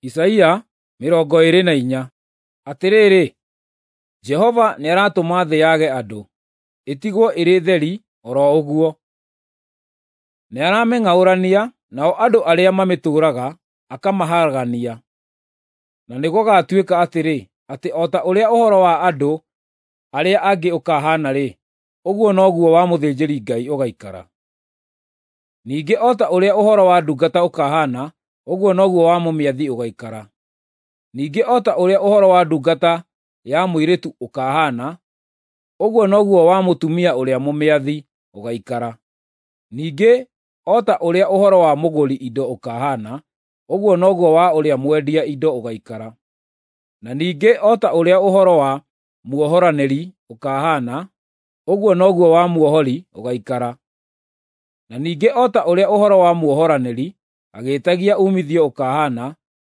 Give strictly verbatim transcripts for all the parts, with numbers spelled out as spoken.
Isaia mĩrongo ĩĩrĩ na inya. Atĩrĩrĩ, Jehova nĩaratũma thĩ yage andũ, ĩtigwo ĩrĩ theri o ro ũguo. Nĩaramĩng'aũrania, nao andũ arĩa mamĩtũũraga akamaharagania. Na nĩgũgatuĩka atĩrĩ, atĩ o ta ũrĩa ũhoro wa andũ arĩa angĩ ũkahaana-rĩ, ũguo noguo wa mũthĩnjĩri-Ngai ũgaikara. Ningĩ o ta ũrĩa ũhoro wa ndungata ũkahaana, ũguo noguo wa mũmĩathi ũgaikara. Ningĩ o ta ũrĩa ũhoro wa ndungata ya mũirĩtu ũkahaana, ũguo noguo wa mũtumia ũrĩa mũmĩathi ũgaikara. Ningĩ o ta ũrĩa ũhoro wa mũgũri indo ũkahaana, ũguo noguo wa ũrĩa mwendia indo ũgaikara. Na ningĩ o ta ũrĩa ũhoro wa muohoranĩri ũkahaana, ũguo noguo wa muohori ũgaikara. Na ningĩ o ta ũrĩa ũhoro wa muohoranĩri agĩĩtagia uumithio ũkahaana,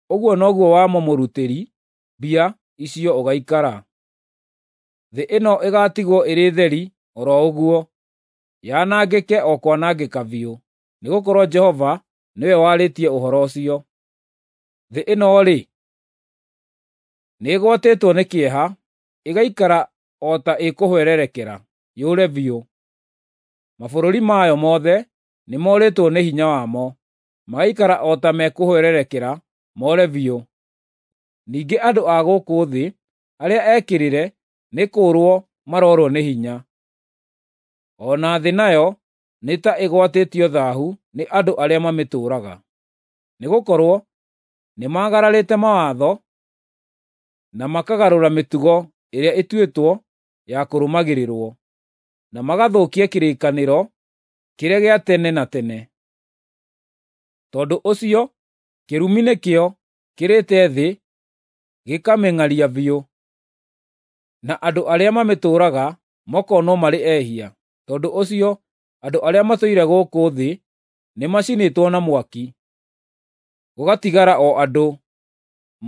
ũguo noguo wa mũmũrutĩri mbia icio ũgaikara. Thĩ ĩno ĩgaatigwo ĩrĩ theri o ro ũguo, yanangĩke o kwanangĩka biũ, nĩgũkorwo Jehova nĩwe warĩtie ũhoro ũcio. Thĩ ĩno-rĩ, nĩĩgwatĩtwo nĩ kĩeha, ĩgaikara o ta ĩkũhwererekera, yũre biũ. Mabũrũri mayo mothe nĩmorĩtwo nĩ hinya wamo, magaikara o ta mekũhwererekera more biũ. Ningĩ andũ a gũkũ thĩ arĩa ekĩrĩre nĩ kũũrwo maroorwo nĩ hinya. O na thĩ nayo nĩ ta ĩgwatĩtio thaahu nĩ andũ arĩa mamĩtũũraga, nĩgũkorwo nĩmagararĩte mawatho na makagarũra mĩtugo ĩrĩa ĩtuĩtwo ya kũrũmagĩrĩrwo, na magathũkia kĩrĩkanĩro kĩrĩa gĩa tene na tene. Tondũ ũcio kĩrumi nĩkĩo kĩrĩte thĩ gĩkamĩng'aria biũ, na andũ arĩa mamĩtũũraga makonwo marĩ ehia. Tondũ ũcio andũ arĩa matũire gũkũ thĩ nĩmacinĩtwo na mwaki, gũgatigara o andũ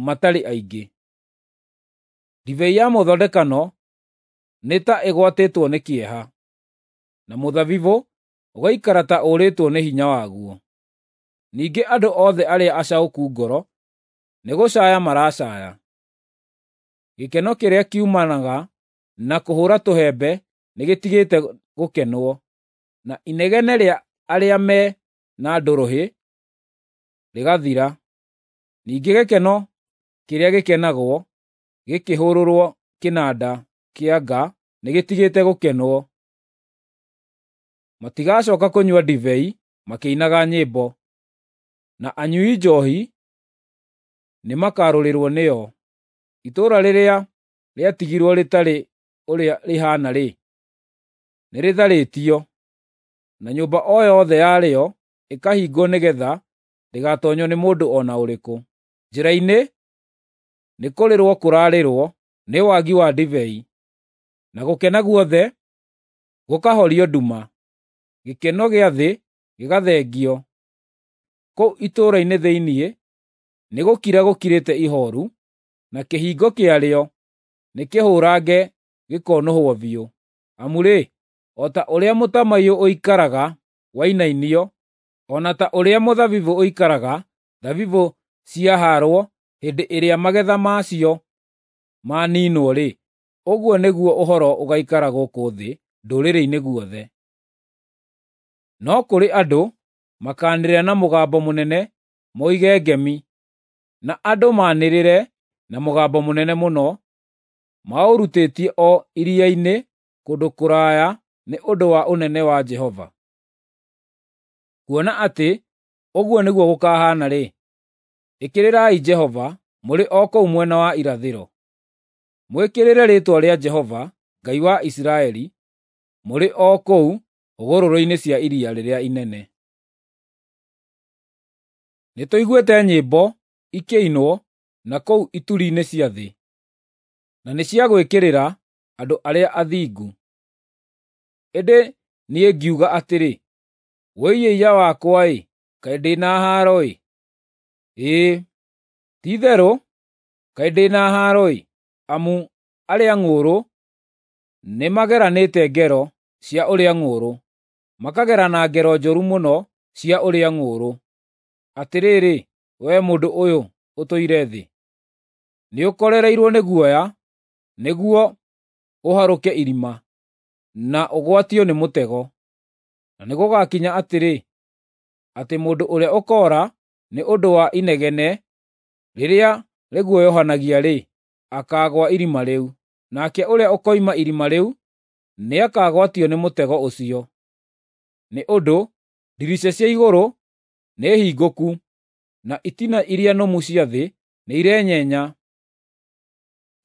matarĩ aingĩ. Ndibei ya mũthondekano nĩ ta ĩgwatĩtwo nĩ kĩeha, na mũthabibũ ũgaikara ta ũrĩtwo nĩ hinya waguo. Ningĩ andũ othe arĩa acaũku ngoro nĩgũcaaya maracaaya. Gĩkeno kĩrĩa kiumanaga na kũhũũra tũhembe nĩgĩtigĩte gũkenwo, na inegene rĩa arĩa me na ndũrũhĩ rĩgathira. Ningĩ gĩkeno kĩrĩa gĩkenagwo gĩkĩhũũrwo kĩnanda kĩa nga nĩgĩtigĩte gũkenwo. Matigacooka kũnyua ndibei makĩinaga nyĩmbo, na anyui njoohi nĩmakarũrĩrwo nĩyo. Itũũra rĩrĩa rĩatigirwo rĩtarĩ ũrĩa rĩhaana-rĩ, nĩrĩtharĩtio, na nyũmba o yothe yarĩo ĩkahingwo nĩgeetha ndĩgatoonywo nĩ mũndũ o na ũrĩkũ. Njĩra-inĩ nĩkũrĩrwo kũrarĩrwo nĩ wagi wa ndibei, na gũkena guothe gũkahorio nduma, gĩkeno gĩa thĩ gĩgathengio. Kũu itũũra-inĩ thĩinĩ nĩgũkira gũkirĩte ihooru, na kĩhingo kĩarĩo nĩkĩhũũrange gĩkonũhwo biũ. Amu-rĩ, o ta ũrĩa mũtamaiyũ ũikaraga wainainio, o na ta ũrĩa mũthabibũ ũikaraga thabibũ ciahaarwo hĩndĩ ĩrĩa magetha macio maniinwo-rĩ, ũguo nĩguo ũhoro ũgaikara gũkũ thĩ ndũrĩrĩ-inĩ guothe. No kũrĩ andũ makaanĩrĩra na mũgambo mũnene moige ngemi, na andũ maanĩrĩre na mũgambo mũnene mũno, maũrutĩtie o iria-inĩ kũndũ kũraya nĩ ũndũ wa ũnene wa Jehova. Kuona atĩ ũguo nĩguo gũkahaana-rĩ, ĩkĩrĩrai Jehova mũrĩ o kũu mwena wa irathĩro. Mwĩkĩrĩre rĩĩtwa rĩa Jehova, Ngai wa Isiraeli, mũrĩ o kũu hũgũrũrũ-inĩ cia iria rĩrĩa inene. Nĩtũiguĩte nyĩmbo ikĩinwo na kũu ituri-inĩ cia thĩ, na nĩ cia gwĩkĩrĩra andũ arĩa athingu. Ĩndĩ niĩ ngiuga atĩrĩ, “Wũi-ĩiya wakwa-ĩ, kaĩ ndĩ na haaro-ĩ! Ĩĩ, ti-itherũ kaĩ ndĩ na haaro-ĩ! Amu arĩa ng'ũũrũ nĩmageranĩte ngero cia ũrĩa ng'ũũrũ, makagerana ngero njũru mũno cia ũrĩa ng'ũũrũ. Atĩrĩrĩ, wee mũndũ ũyũ, ũtũire thĩ? Nĩũkorereirwo nĩ guoya, nĩguo ũharũke irima, na ũgwatio nĩ mũtego. Na nĩgũgakinya atĩrĩ, atĩ mũndũ ũrĩa ũkoora nĩ ũndũ wa inegene rĩrĩa rĩguoyohanagia-rĩ, akaagũa irima rĩu, nake ũrĩa ũkoima irima rĩu nĩakagwatio nĩ mũtego ũcio. Nĩ ũndũ ndirica cia igũrũ nĩhingũku, na itina iria nũmu cia thĩ nĩirenyenya.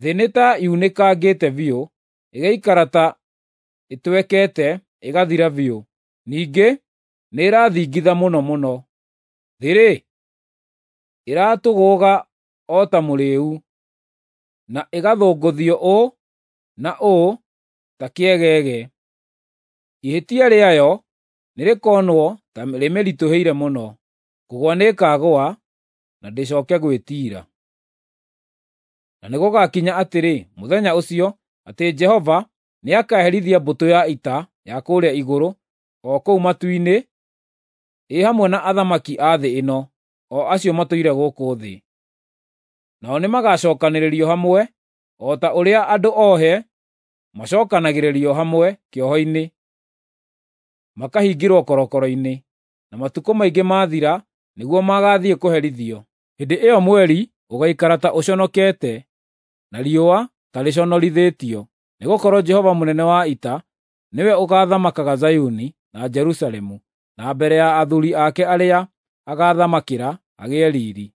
Thĩ nĩ ta yunĩkangĩte biũ, ĩgaikara ta ĩtwekete ĩgathira biũ, ningĩ nĩĩrathingitha mũno mũno. Thĩ-rĩ, ĩratũgũũga o ta mũrĩĩu, na ĩgathũngũthio ũũ na ũũ ta kĩegege. Ihĩtia rĩayo nĩrĩkonwo ta rĩmĩritũhĩire mũno, kũgũa nĩĩkagũa na ndĩcooke gwĩtiira. Na nĩgũgakinya atĩrĩ mũthenya ũcio, atĩ Jehova nĩakaherithia mbũtũ ya ita ya kũrĩa igũrũ, o kũu matu-inĩ, ĩ hamwe na athamaki a thĩ ĩno, o acio matũire gũkũ thĩ. Nao nĩmagacookanĩrĩrio hamwe, o ta ũrĩa andũ ohe macookanagĩrĩrio hamwe kĩoho-inĩ, makahingĩrwo korokoro-inĩ, na matukũ maingĩ maathira nĩguo magaathiĩ kũherithio. Hĩndĩ ĩyo mweri ũgaikara ta ũconokete, na riũa ta rĩconorithĩtio, nĩgũkorwo Jehova mũnene wa ita nĩwe ũgaathamakaga Zayuni na Jerusalemu, na mbere ya athuuri ake arĩa agaathamakĩra agĩe riiri.